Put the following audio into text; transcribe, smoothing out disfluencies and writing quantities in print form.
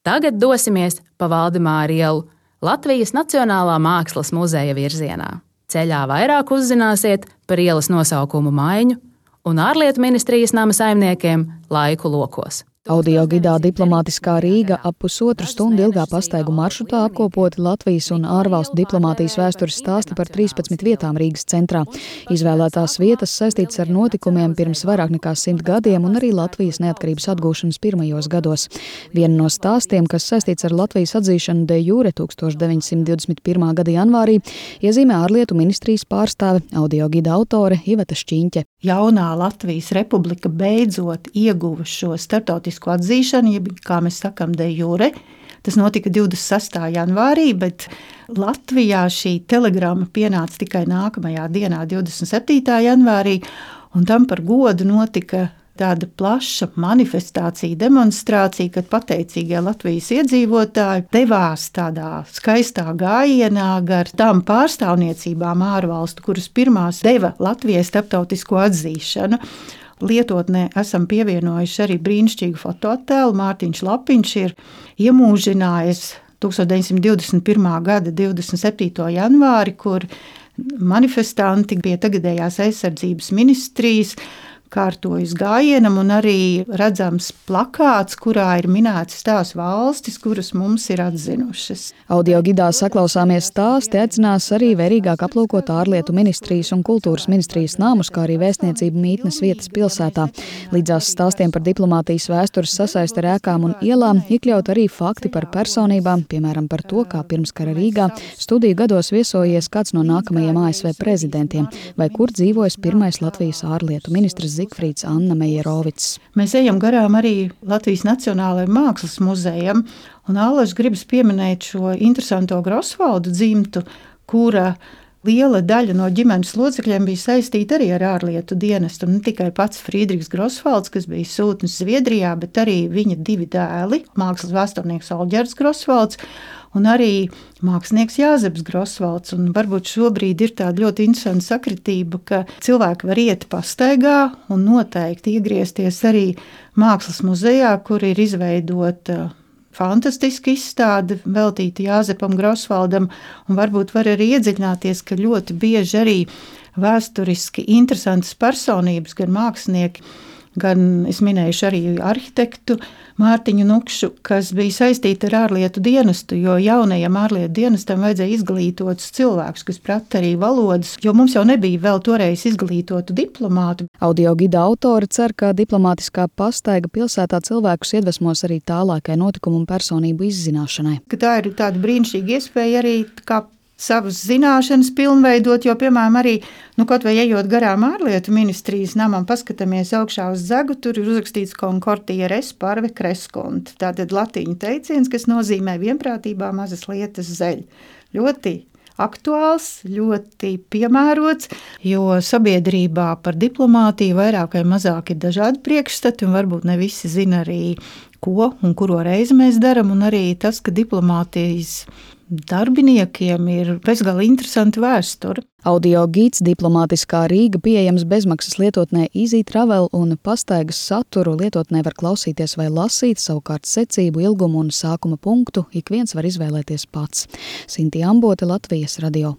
Tagad dosimies pa Valdemāra ielu Latvijas Nacionālā mākslas muzeja virzienā. Ceļā vairāk uzzināsiet par ielas nosaukumu maiņu un ārlietu ministrijas nama saimniekiem laiku lokos. Audio gidā Diplomātiskā Rīga ap pusotru stundu ilgā pastaigu maršrutā apkopoti Latvijas un ārvalstu diplomātijas vēstures stāsti par 13 vietām Rīgas centrā. Izvēlētās vietas saistītas ar notikumiem pirms vairāk nekā 100 gadiem un arī Latvijas neatkarības atgūšanas pirmajos gados. Viena no stāstiem, kas saistīts ar Latvijas atzīšanu de jure 1921. Gada janvārī, iezīmē ārlietu ministrijas pārstāve, audio gida autore Iveta Šķiņķe. Jaunā Latvijas republika beidzot ieguva šo starptautisku atzīšanu, jeb, kā mēs sakam, de jure. Tas notika 26. janvārī, bet Latvijā šī telegramma pienāca tikai nākamajā dienā, 27. janvārī, un tam par godu notika tāda plaša manifestācija, demonstrācija, kad pateicīgie Latvijas iedzīvotāji devās tādā skaistā gājienā gar tām pārstāvniecībām ārvalstu, kuras pirmās deva Latvijai starptautisko atzīšanu. Lietotnē esam pievienojuši arī brīnišķīgu fotoattēlu. Mārtiņš Lapiņš ir iemūžinājis 1921. gada 27. janvāri, kur manifestanti pie tagadējās aizsardzības ministrijas kārtojas gājienam un arī redzams plakāts, kurā ir minētas tās valstis, kuras mums ir atzinušas. Audio gidā saklausāmies stāsti, aicinās arī vērīgāk aplūkot ārlietu ministrijas un kultūras ministrijas namus, kā arī vēstniecību mītnes vietas pilsētā. Līdzās stāstiem par diplomātijas vēstures sasaisti ar ēkām un ielām iekļaut arī fakti par personībām, piemēram par to, kā pirmskara Rīgā studiju gados viesojies kāds no nākamajiem ASV prezidentiem, vai kur dzīvojas pirmais Latvijas ārlietu ministrs Zigfrīds Anna Mejerovics. Mēs ejam garām arī Latvijas Nacionālajam mākslas muzejam, un Allaž gribas pieminēt šo interesanto Grosvaldu dzimtu, kura liela daļa no ģimenes locekļiem bija saistīta arī ar ārlietu dienestu. Ne tikai pats Friedrichs Grosvalds, kas bija sūtnis Zviedrijā, bet arī viņa divi dēli, mākslas vēsturnieks Olģerts Grosvalds un arī mākslinieks Jāzeps Grosvalds. Un varbūt šobrīd ir tāda ļoti interesanta sakritība, ka cilvēki var iet pastaigā un noteikti iegriezties arī mākslas muzejā, kur ir izveidota fantastiska izstāde veltīta Jāzepam Grosvaldam, un varbūt var arī iedziļināties, ka ļoti bieži arī vēsturiski interesantas personības, gan mākslinieki, gan es minējuši arī arhitektu Mārtiņu Nukšu, kas bija saistīta ar ārlietu dienestu, jo jaunajam ārlietu dienestam vajadzēja izglītotus cilvēkus, kas prata arī valodas, jo mums jau nebija vēl toreiz izglītotu diplomātu. Audio gida autori cer, ka diplomātiskā pastaiga pilsētā cilvēkus iedvesmos arī tālākai notikumu un personību izzināšanai. Tā ir tāda brīnišķīga iespēja arī kā savas zināšanas pilnveidot, jo, piemēram, arī, kaut vai ejot garām ārlietu ministrijas namam, paskatāmies augšā uz zegu, tur ir uzrakstīts Concordia res parve crescunt. Tātad latīņu teiciens, kas nozīmē vienprātībā mazas lietas zeļ. Ļoti aktuāls, ļoti piemērots, jo sabiedrībā par diplomātiju vairāk vai mazāk ir dažādi priekšstati, un varbūt ne visi zina arī, ko un kuro reizi mēs daram, un arī tas, ka diplomātijas darbiniekiem ir bezgalīgi interesanti vēsture. Audio gids Diplomātiskā Rīga pieejams bezmaksas lietotnē Easy Travel, un pastaigas saturu lietotnē var klausīties vai lasīt, savukārt secību, ilgumu un sākuma punktu ik viens var izvēlēties pats. Sinti Ambote, Latvijas radio.